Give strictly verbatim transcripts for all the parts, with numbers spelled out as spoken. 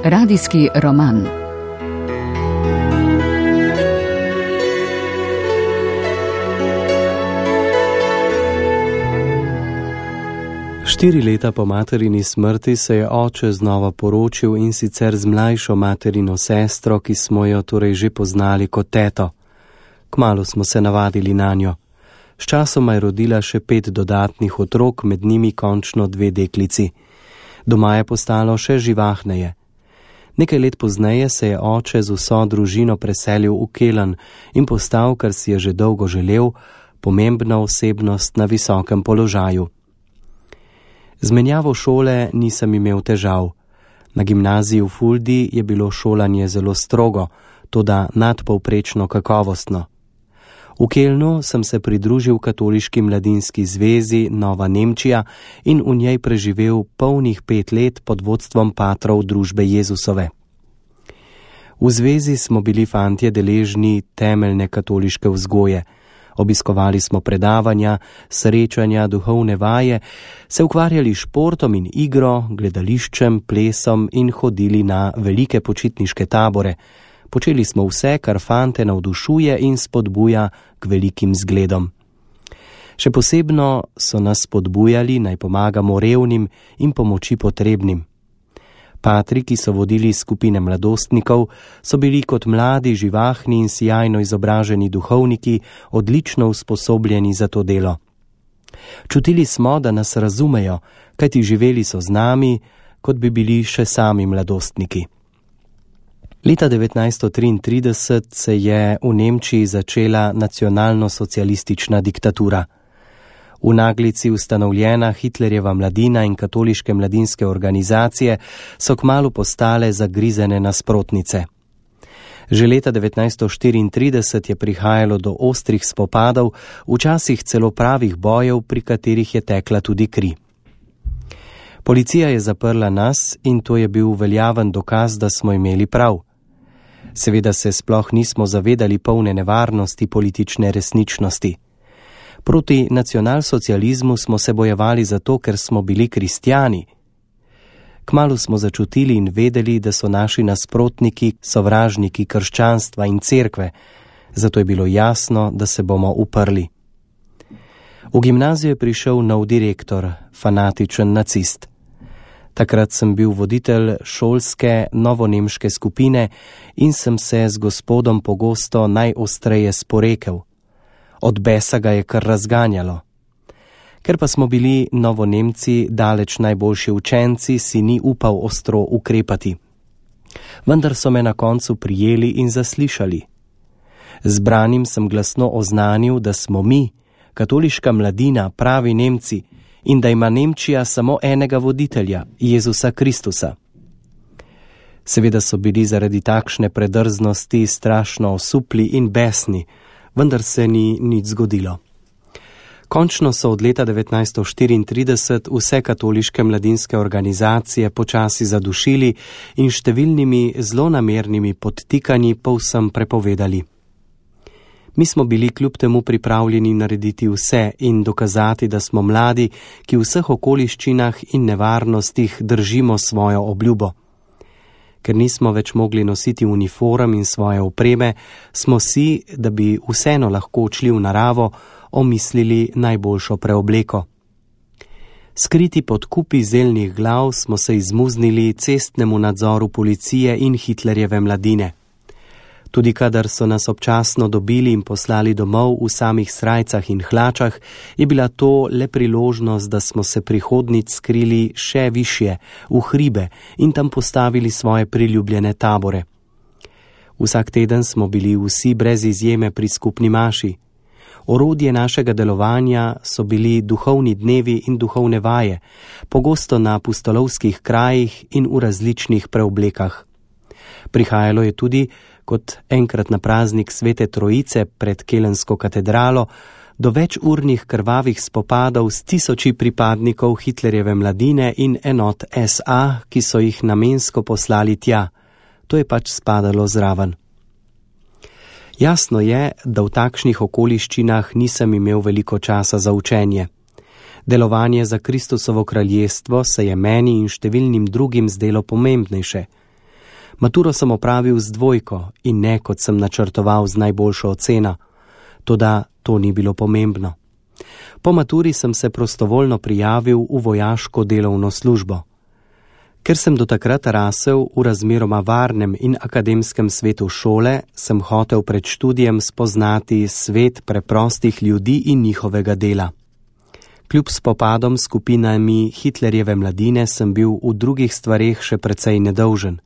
Radijski roman. Štiri leta po materini smrti se je oče znova poročil, in sicer z mlajšo materino sestro, ki smo jo torej že poznali kot teto. Kmalu smo se navadili nanjo. Sčasoma je rodila še pet dodatnih otrok, med njimi končno dve deklici. Doma je postalo še živahneje. Nekaj let pozneje se je oče z vso družino preselil v Kelen in postal, kar si je že dolgo želel, pomembna osebnost na visokem položaju. Z menjavo šole nisem imel težav. Na gimnaziji v Fuldi je bilo šolanje zelo strogo, toda nadpovprečno kakovostno. V Kelnu sem se pridružil katoliški mladinski zvezi Nova Nemčija in v njej preživel polnih pet let pod vodstvom patrov družbe Jezusove. V zvezi smo bili fantje deležni temeljne katoliške vzgoje. Obiskovali smo predavanja, srečanja, duhovne vaje, se ukvarjali športom in igro, gledališčem, plesom in hodili na velike počitniške tabore. Počeli smo vse, kar fante navdušuje in spodbuja k velikim zgledom. Še posebno so nas spodbujali, naj pomagamo revnim in pomoči potrebnim. Patri, ki so vodili skupine mladostnikov, so bili kot mladi, živahni in sijajno izobraženi duhovniki odlično usposobljeni za to delo. Čutili smo, da nas razumejo, kajti živeli so z nami, kot bi bili še sami mladostniki. Leta devetnajststo triintrideset se je v Nemčiji začela nacionalno-socialistična diktatura. V naglici ustanovljena Hitlerjeva mladina in katoliške mladinske organizacije so kmalu postale zagrizene nasprotnice. Že leta devetnajststo štiriintrideset je prihajalo do ostrih spopadov, včasih celo pravih bojev, pri katerih je tekla tudi kri. Policija je zaprla nas in to je bil veljaven dokaz, da smo imeli prav. Seveda se sploh nismo zavedali polne nevarnosti politične resničnosti. Proti nacionalsocializmu smo se bojevali zato, ker smo bili kristjani. Kmalu smo začutili in vedeli, da so naši nasprotniki sovražniki krščanstva in cerkve, zato je bilo jasno, da se bomo uprli. V gimnazijo je prišel nov direktor, fanatičen nacist. Takrat sem bil voditelj šolske novonemške skupine in sem se z gospodom pogosto najostreje sporekel. Od besa ga je kar razganjalo. Ker pa smo bili Novonemci daleč najboljši učenci, si ni upal ostro ukrepati. Vendar so me na koncu prijeli in zaslišali. Zbranim sem glasno oznanil, da smo mi, katoliška mladina, pravi Nemci in da ima Nemčija samo enega voditelja, Jezusa Kristusa. Seveda so bili zaradi takšne predrznosti strašno osupli in besni, vendar se ni nič zgodilo. Končno so od leta devetnajststo štiriintrideset vse katoliške mladinske organizacije počasi zadušili in številnimi zlonamernimi podtikanji povsem prepovedali. Mi smo bili kljub temu pripravljeni narediti vse in dokazati, da smo mladi, ki v vseh okoliščinah in nevarnostih držimo svojo obljubo. Ker nismo več mogli nositi uniform in svoje opreme, smo si, da bi vseeno lahko odšli v naravo, omislili najboljšo preobleko. Skriti pod kupi zeljnih glav smo se izmuznili cestnemu nadzoru policije in Hitlerjeve mladine. Tudi kadar so nas občasno dobili in poslali domov v samih srajcah in hlačah, je bila to le priložnost, da smo se prihodnic skrili še višje, v hribe in tam postavili svoje priljubljene tabore. Vsak teden smo bili vsi brez izjeme pri skupni maši. Orodje našega delovanja so bili duhovni dnevi in duhovne vaje, pogosto na pustolovskih krajih in v različnih preoblekah. Prihajalo je tudi, kot enkrat na praznik Svete Trojice pred Kelensko katedralo, do večurnih krvavih spopadov s tisoči pripadnikov Hitlerjeve mladine in enot es a, ki so jih namensko poslali tja. To je pač spadalo zraven. Jasno je, da v takšnih okoliščinah nisem imel veliko časa za učenje. Delovanje za Kristusovo kraljestvo se je meni in številnim drugim zdelo pomembnejše. Maturo sem opravil z dvojko in ne, kot sem načrtoval, z najboljšo oceno, toda to ni bilo pomembno. Po maturi sem se prostovoljno prijavil v vojaško delovno službo. Ker sem do takrat rasel v razmeroma varnem in akademskem svetu šole, sem hotel pred študijem spoznati svet preprostih ljudi in njihovega dela. Kljub spopadom s skupinami Hitlerjeve mladine sem bil v drugih stvareh še precej nedolžen.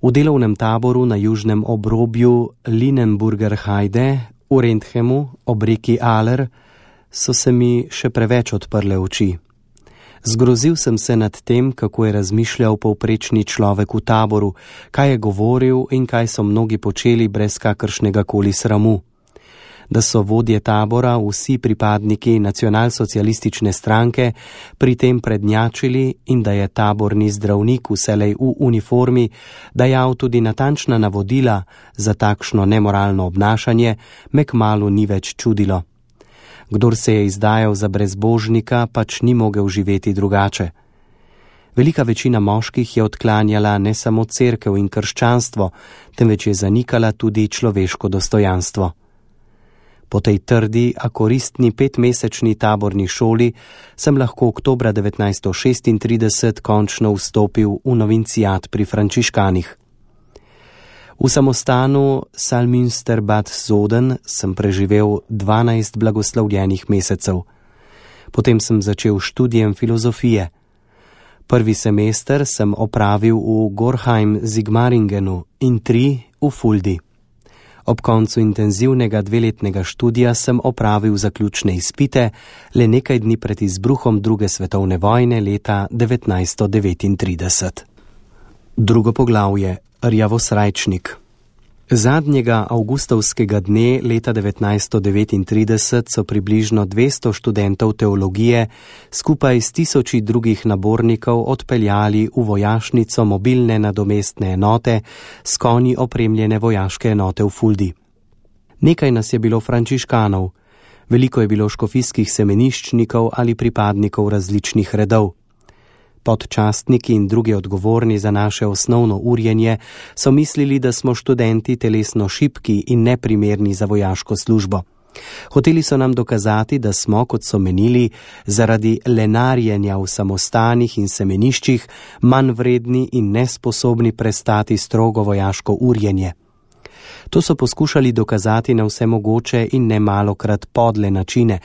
V delovnem taboru na južnem obrobju Linenburger Heide v Renthemu ob reki Aller so se mi še preveč odprle oči. Zgrozil sem se nad tem, kako je razmišljal povprečni človek v taboru, kaj je govoril in kaj so mnogi počeli brez kakršnega koli sramu. Da so vodje tabora, vsi pripadniki nacionalsocialistične stranke, pri tem prednjačili in da je taborni zdravnik vselej v uniformi dajal tudi natančna navodila za takšno nemoralno obnašanje, me kmalu ni več čudilo. Kdor se je izdajal za brezbožnika, pač ni mogel živeti drugače. Velika večina moških je odklanjala ne samo cerkev in krščanstvo, temveč je zanikala tudi človeško dostojanstvo. Po tej trdi, a koristni petmesečni taborni šoli sem lahko oktobra devetnajststo šestintrideset končno vstopil v novincijat pri frančiškanih. V samostanu Salmünster Bad Soden sem preživel dvanajst blagoslovljenih mesecev. Potem sem začel študijem filozofije. Prvi semester sem opravil v Gorheim Sigmaringenu in tri v Fuldi. Ob koncu intenzivnega dveletnega študija sem opravil zaključne izpite le nekaj dni pred izbruhom druge svetovne vojne leta devetnajststo devetintrideset. Drugo poglavje. Rjavosrajčnik. Zadnjega avgustovskega dne leta devetnajststo devetintrideset so približno dvesto študentov teologije skupaj s tisoči drugih nabornikov odpeljali v vojašnico mobilne nadomestne enote s konji opremljene vojaške enote v Fuldi. Nekaj nas je bilo frančiškanov, veliko je bilo škofijskih semeniščnikov ali pripadnikov različnih redov. Podčastniki in drugi odgovorni za naše osnovno urjenje so mislili, da smo študenti telesno šibki in neprimerni za vojaško službo. Hoteli so nam dokazati, da smo, kot so menili, zaradi lenarjenja v samostanih in semeniščih manj vredni in nesposobni prestati strogo vojaško urjenje. To so poskušali dokazati na vse mogoče in nemalokrat podle načine,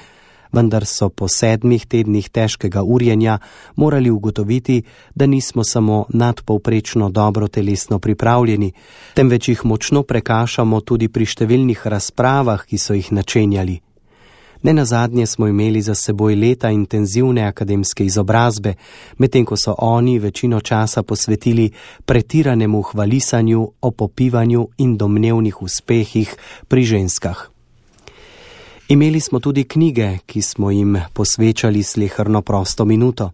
vendar so po sedmih tednih težkega urjenja morali ugotoviti, da nismo samo nadpovprečno dobro telesno pripravljeni, temveč jih močno prekašamo tudi pri številnih razpravah, ki so jih načenjali. Nenazadnje smo imeli za seboj leta intenzivne akademske izobrazbe, medtem ko so oni večino časa posvetili pretiranemu hvalisanju, opopivanju in domnevnih uspehih pri ženskah. Imeli smo tudi knjige, ki smo jim posvečali sleherno prosto minuto.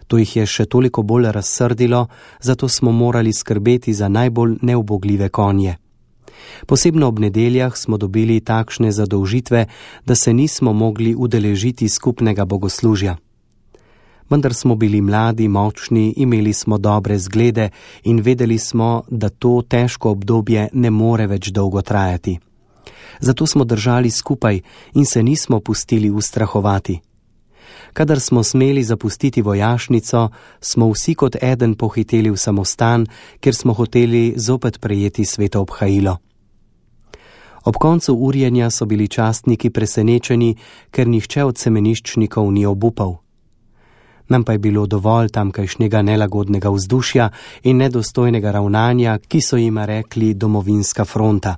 To jih je še toliko bolj razsrdilo, zato smo morali skrbeti za najbolj neubogljive konje. Posebno ob nedeljah smo dobili takšne zadolžitve, da se nismo mogli udeležiti skupnega bogoslužja. Vendar smo bili mladi, močni, imeli smo dobre zglede in vedeli smo, da to težko obdobje ne more več dolgo trajati. Zato smo držali skupaj in se nismo pustili ustrahovati. Kadar smo smeli zapustiti vojašnico, smo vsi kot eden pohiteli v samostan, ker smo hoteli zopet prejeti sveto obhajilo. Ob koncu urjenja so bili častniki presenečeni, ker nihče od semeniščnikov ni obupal. Nam pa je bilo dovolj tamkajšnjega nelagodnega vzdušja in nedostojnega ravnanja, ki so jima rekli domovinska fronta.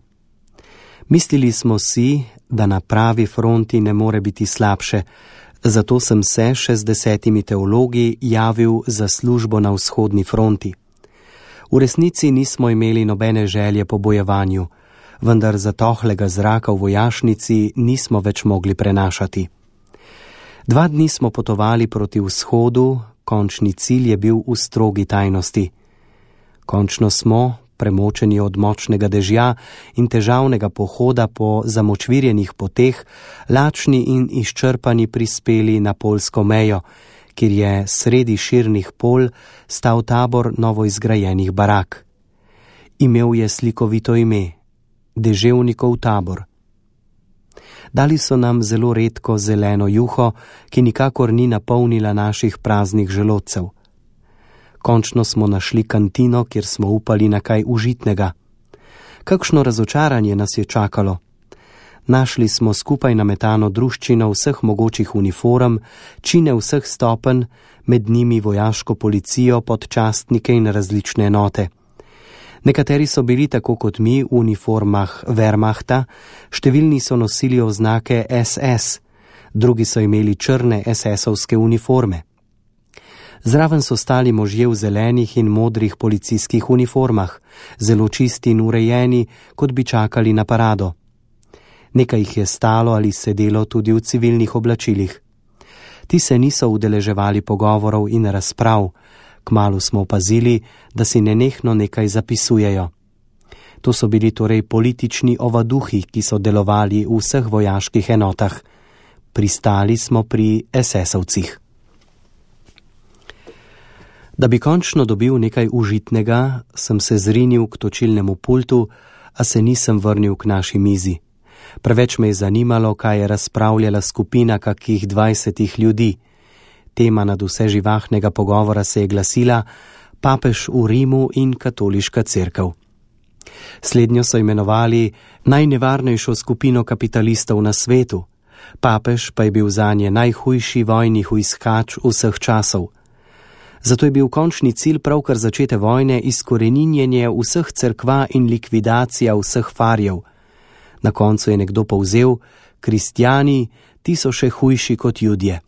Mislili smo si, da na pravi fronti ne more biti slabše, zato sem se še z desetimi teologi javil za službo na vzhodni fronti. V resnici nismo imeli nobene želje po bojevanju, vendar zatohlega zraka v vojašnici nismo več mogli prenašati. Dva dni smo potovali proti vzhodu, končni cilj je bil v strogi tajnosti. Končno smo, premočeni od močnega dežja in težavnega pohoda po zamočvirjenih poteh, lačni in izčrpani prispeli na poljsko mejo, kjer je sredi širnih polj stal tabor novoizgrajenih barak. Imel je slikovito ime, Deževnikov tabor. Dali so nam zelo redko zeleno juho, ki nikakor ni napolnila naših praznih želodcev. Končno smo našli kantino, kjer smo upali na kaj užitnega. Kakšno razočaranje nas je čakalo. Našli smo skupaj nametano druščino vseh mogočih uniform, čine vseh stopenj, med njimi vojaško policijo, podčastnike in različne enote. Nekateri so bili tako kot mi v uniformah Wehrmachta, številni so nosili oznake S S, drugi so imeli črne S S-ovske uniforme. Zraven so stali možje v zelenih in modrih policijskih uniformah, zelo čisti in urejeni, kot bi čakali na parado. Nekaj jih je stalo ali sedelo tudi v civilnih oblačilih. Ti se niso udeleževali pogovorov in razprav, kmalu smo opazili, da si nenehno nekaj zapisujejo. To so bili torej politični ovaduhi, ki so delovali v vseh vojaških enotah. Pristali smo pri S S-ovcih. Da bi končno dobil nekaj užitnega, sem se zrinil k točilnemu pultu, a se nisem vrnil k naši mizi. Preveč me je zanimalo, kaj je razpravljala skupina kakih dvajsetih ljudi. Tema nad vse živahnega pogovora se je glasila papež v Rimu in katoliška cerkev. Slednjo so imenovali najnevarnejšo skupino kapitalistov na svetu, papež pa je bil zanje najhujši vojni hujskač vseh časov. Zato je bil končni cilj pravkar začete vojne izkoreninjenje vseh cerkva in likvidacija vseh farjev. Na koncu je nekdo povzel, kristjani, ti so še hujši kot Judje.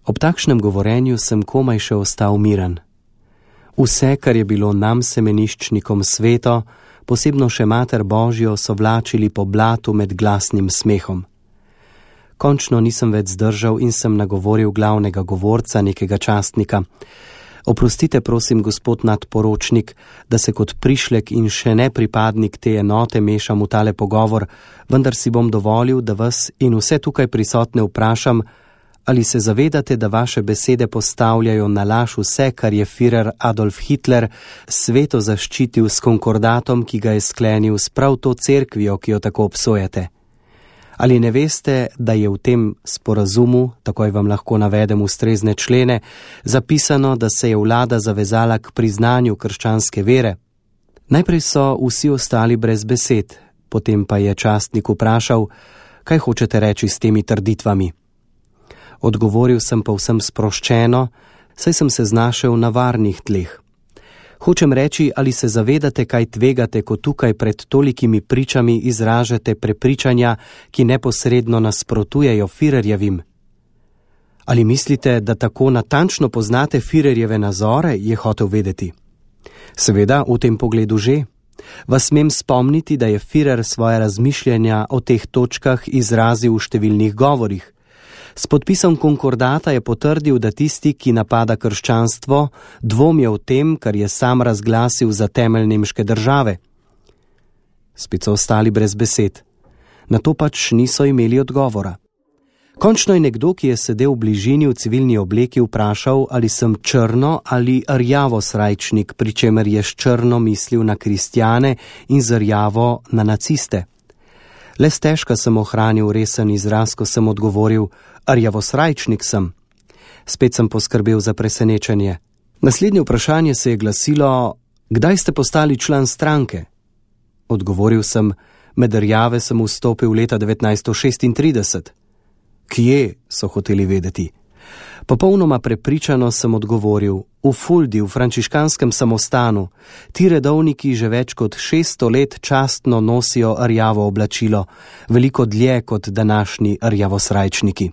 Ob takšnem govorenju sem komaj še ostal miren. Vse, kar je bilo nam semeniščnikom sveto, posebno še Mater Božjo, so vlačili po blatu med glasnim smehom. Končno nisem več zdržal in sem nagovoril glavnega govorca, nekega častnika. Oprostite, prosim, gospod nadporočnik, da se kot prišlek in še ne pripadnik te enote mešam v tale pogovor, vendar si bom dovolil, da vas in vse tukaj prisotne vprašam, ali se zavedate, da vaše besede postavljajo na laž vse, kar je Führer Adolf Hitler sveto zaščitil s konkordatom, ki ga je sklenil s prav to cerkvijo, ki jo tako obsojate. Ali ne veste, da je v tem sporazumu, takoj vam lahko navedem ustrezne člene, zapisano, da se je vlada zavezala k priznanju krščanske vere? Najprej so vsi ostali brez besed, potem pa je častnik vprašal, kaj hočete reči s temi trditvami. Odgovoril sem povsem sproščeno, saj sem se znašel na varnih tleh. Hočem reči, ali se zavedate, kaj tvegate, ko tukaj pred tolikimi pričami izražate prepričanja, ki neposredno nasprotujejo Führerjevim? Ali mislite, da tako natančno poznate Führerjeve nazore, je hotel vedeti? Seveda, v tem pogledu že. Vas smem spomniti, da je Führer svoje razmišljanja o teh točkah izrazil v številnih govorih. S podpisom konkordata je potrdil, da tisti, ki napada krščanstvo, dvomijo v tem, kar je sam razglasil za temelj nemške države. Spet so ostali brez besed. Na to pač niso imeli odgovora. Končno je nekdo, ki je sedel v bližini v civilni obleki, vprašal, ali sem črno ali rjavo srajčnik, pri čemer je s črno mislil na kristjane in z rjavo na naciste. Le stežka sem ohranil resen izraz, ko sem odgovoril, rjavosrajčnik sem. Spet sem poskrbel za presenečenje. Naslednje vprašanje se je glasilo, kdaj ste postali član stranke? Odgovoril sem, med rjave sem vstopil leta devetnajststo šestintrideset. Kje, so hoteli vedeti. Popolnoma prepričano sem odgovoril, v Fuldi, v frančiškanskem samostanu. Ti redovniki že več kot šeststo let častno nosijo rjavo oblačilo, veliko dlje kot današnji rjavosrajčniki.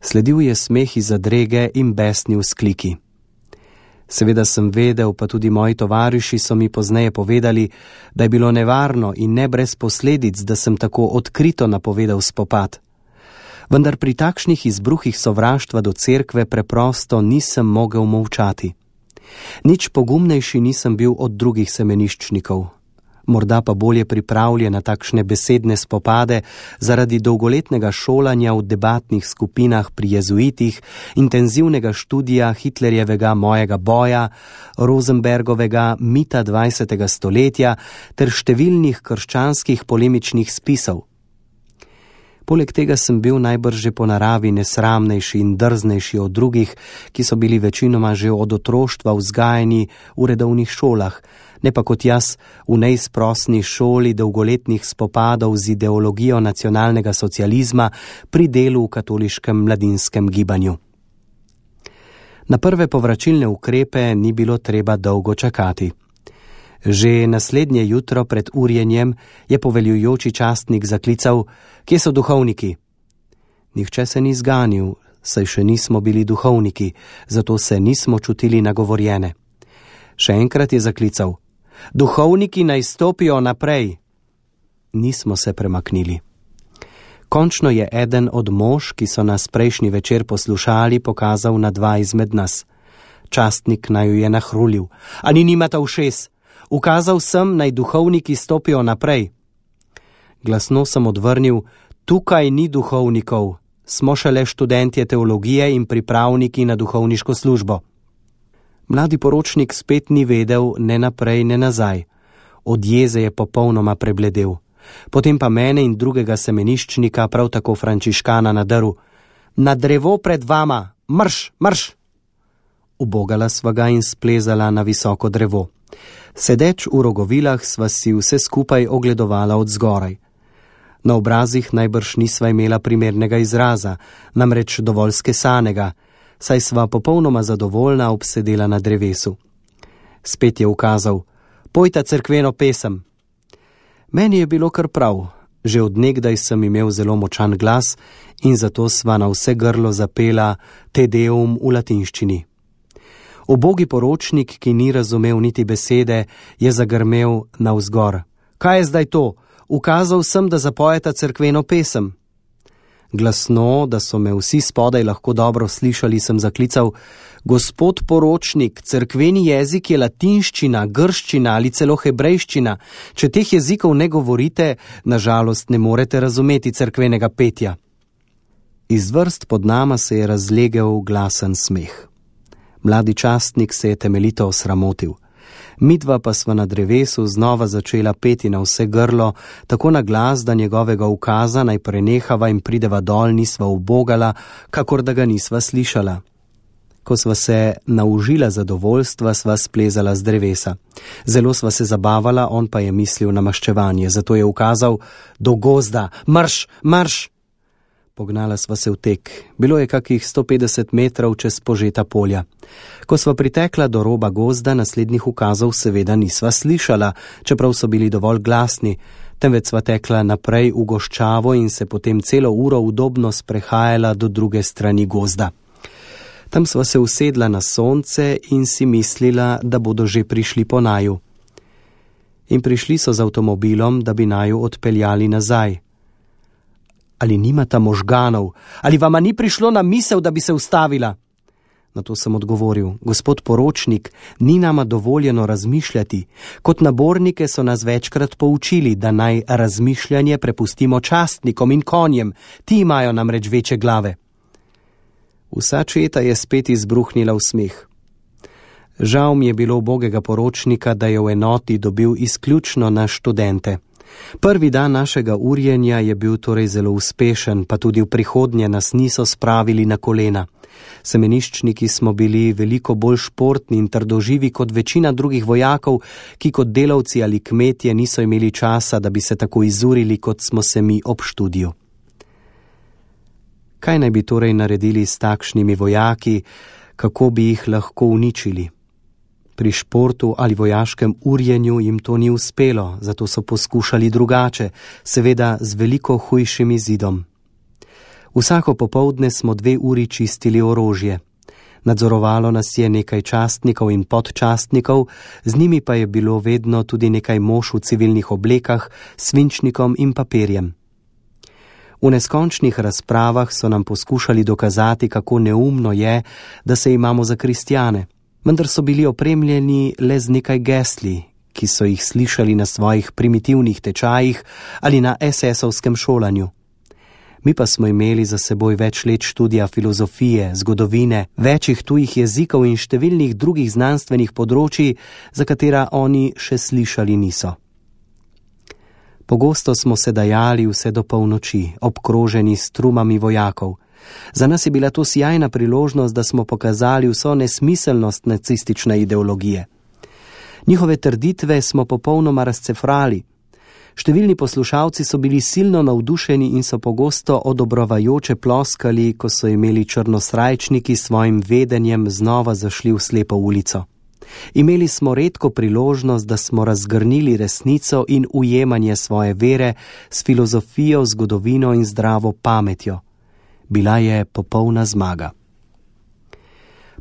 Sledil je smeh iz zadrege in besni vzkliki. Seveda sem vedel, pa tudi moji tovariši so mi pozneje povedali, da je bilo nevarno in ne brez posledic, da sem tako odkrito napovedal spopad. Vendar pri takšnih izbruhih sovraštva do cerkve preprosto nisem mogel molčati. Nič pogumnejši nisem bil od drugih semeniščnikov. morda pa bolje pripravljen na takšne besedne spopade zaradi dolgoletnega šolanja v debatnih skupinah pri jezuitih, intenzivnega študija Hitlerjevega Mojega boja, Rosenbergovega Mita dvajsetega stoletja ter številnih krščanskih polemičnih spisov. Poleg tega sem bil najbrž že po naravi nesramnejši in drznejši od drugih, ki so bili večinoma že od otroštva vzgajani v redovnih šolah, ne pa kot jaz v neizprosni šoli dolgoletnih spopadov z ideologijo nacionalnega socializma pri delu v katoliškem mladinskem gibanju. Na prve povračilne ukrepe ni bilo treba dolgo čakati. Že naslednje jutro pred urjenjem je poveljujoči častnik zaklical: "Kje so duhovniki?" Nihče se ni zganil, saj še nismo bili duhovniki, zato se nismo čutili nagovorjene. Še enkrat je zaklical: "Duhovniki naj stopijo naprej." Nismo se premaknili. Končno je eden od mož, ki so nas prejšnji večer poslušali, pokazal na dva izmed nas. Častnik naju je nahrulil: "Ali nimata ušes? Ukazal sem, naj duhovniki stopijo naprej." Glasno sem odvrnil: "Tukaj ni duhovnikov, smo šele študentje teologije in pripravniki na duhovniško službo." Mladi poročnik spet ni vedel ne naprej, ne nazaj. Od jeze je popolnoma prebledel. Potem pa mene in drugega semeniščnika, prav tako frančiškana, nadrl: "Na drevo pred vama, marš, marš!" Ubogala sva ga in splezala na visoko drevo. Sedeč v rogovilah sva si vse skupaj ogledovala od zgoraj. Na obrazih najbrž nisva imela primernega izraza, namreč dovolj skesanega, saj sva popolnoma zadovoljna obsedela na drevesu. Spet je ukazal: "Pojta cerkveno pesem." Meni je bilo kar prav, že od nekdaj sem imel zelo močan glas in zato sva na vse grlo zapela Te Deum v latinščini. Ubogi poročnik, ki ni razumel niti besede, je zagrmel navzgor: "Kaj je zdaj to? Ukazal sem, da zapojeta cerkveno pesem." Glasno, da so me vsi spodaj lahko dobro slišali, sem zaklical: "Gospod poročnik, cerkveni jezik je latinščina, grščina ali celo hebrejščina. Če teh jezikov ne govorite, nažalost ne morete razumeti cerkvenega petja." Iz vrst pod nama se je razlegel glasen smeh. Mladi častnik se je temeljito osramotil. Midva pa sva na drevesu znova začela peti na vse grlo, tako na glas, da njegovega ukaza naj prenehava in prideva dol nisva ubogala, kakor da ga nisva slišala. Ko sva se naužila zadovoljstva, sva splezala z drevesa. Zelo sva se zabavala, on pa je mislil na maščevanje, zato je ukazal: "Do gozda, marš, marš!" Pognala sva se v tek. Bilo je kakih sto petdeset metrov čez požeta polja. Ko sva pritekla do roba gozda, naslednjih ukazov seveda nisva slišala, čeprav so bili dovolj glasni, temveč sva tekla naprej v goščavo in se potem celo uro udobno sprehajala do druge strani gozda. Tam sva se usedla na sonce in si mislila, da bodo že prišli po naju. In prišli so z avtomobilom, da bi naju odpeljali nazaj. Ali nimata možganov? Ali vama ni prišlo na misel, da bi se ustavila? Na to sem odgovoril: "Gospod poročnik, ni nama dovoljeno razmišljati. Kot nabornike so nas večkrat poučili, da naj razmišljanje prepustimo častnikom in konjem, ti imajo namreč večje glave." Vsa četa je spet izbruhnila v smeh. Žal mi je bilo ubogega poročnika, da je v enoti dobil izključno na študente. Prvi dan našega urjenja je bil torej zelo uspešen, pa tudi v prihodnje nas niso spravili na kolena. Semeniščniki smo bili veliko bolj športni in trdoživi kot večina drugih vojakov, ki kot delavci ali kmetje niso imeli časa, da bi se tako izurili, kot smo se mi ob študiju. Kaj naj bi torej naredili s takšnimi vojaki, kako bi jih lahko uničili? Pri športu ali vojaškem urjenju jim to ni uspelo, zato so poskušali drugače, seveda z veliko hujšim izidom. Vsako popoldne smo dve uri čistili orožje. Nadzorovalo nas je nekaj častnikov in podčastnikov, z njimi pa je bilo vedno tudi nekaj mož v civilnih oblekah, svinčnikom in papirjem. V neskončnih razpravah so nam poskušali dokazati, kako neumno je, da se imamo za kristjane, vendar so bili opremljeni le z nekaj gesli, ki so jih slišali na svojih primitivnih tečajih ali na esesovskem šolanju. Mi pa smo imeli za seboj več let študija filozofije, zgodovine, večjih tujih jezikov in številnih drugih znanstvenih področji, za katera oni še slišali niso. Pogosto smo se dajali vse do polnoči, obkroženi s trumami vojakov. Za nas je bila to sjajna priložnost, da smo pokazali vso nesmiselnost nacistične ideologije. Njihove trditve smo popolnoma razcefrali. Številni poslušalci so bili silno navdušeni in so pogosto odobrovajoče ploskali, ko so imeli črnosrajčniki s svojim vedenjem znova zašli v slepo ulico. Imeli smo redko priložnost, da smo razgrnili resnico in ujemanje svoje vere s filozofijo, zgodovino in zdravo pametjo. Bila je popolna zmaga.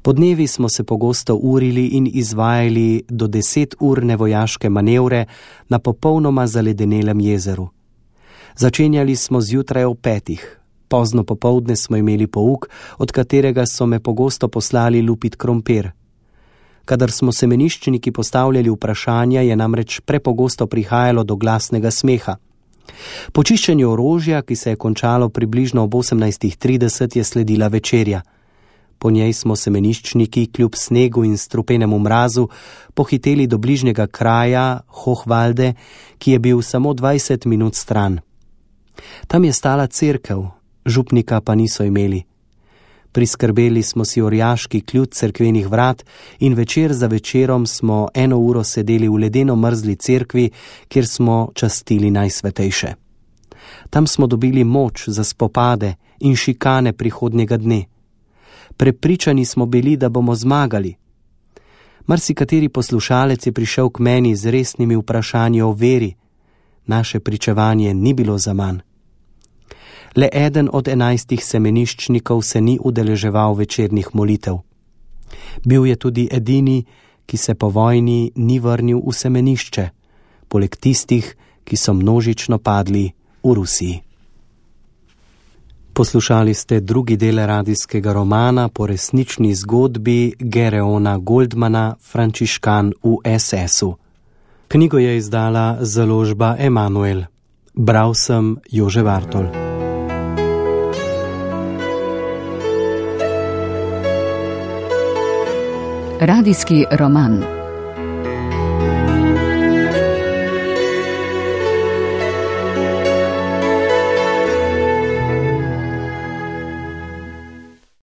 Podnevi smo se pogosto urili in izvajali do deset urne vojaške manevre na popolnoma zaledenelem jezeru. Začenjali smo zjutraj ob petih. Pozno popoldne smo imeli pouk, od katerega so me pogosto poslali lupit krompir. Kadar smo semeniščniki postavljali vprašanja, je namreč prepogosto prihajalo do glasnega smeha. Po čiščenju orožja, ki se je končalo približno ob osemnajstih trideset, je sledila večerja. Po njej smo semeniščniki kljub snegu in strupenemu mrazu pohiteli do bližnjega kraja Hochwalde, ki je bil samo dvajset minut stran. Tam je stala cerkev, župnika pa niso imeli. Priskrbeli smo si orjaški ključ cerkvenih vrat in večer za večerom smo eno uro sedeli v ledeno mrzli cerkvi, kjer smo častili najsvetejše. Tam smo dobili moč za spopade in šikane prihodnjega dne. Prepričani smo bili, da bomo zmagali. Marsikateri poslušalec je prišel k meni z resnimi vprašanji o veri. Naše pričevanje ni bilo zaman. Le eden od enajstih semeniščnikov se ni udeleževal večernih molitev. Bil je tudi edini, ki se po vojni ni vrnil v semenišče, poleg tistih, ki so množično padli v Rusiji. Poslušali ste drugi del radijskega romana po resnični zgodbi Gereona Goldmana Frančiškan v es esu. Knjigo je izdala založba Emanuel. Bral sem Jože Vartol. Radijski roman.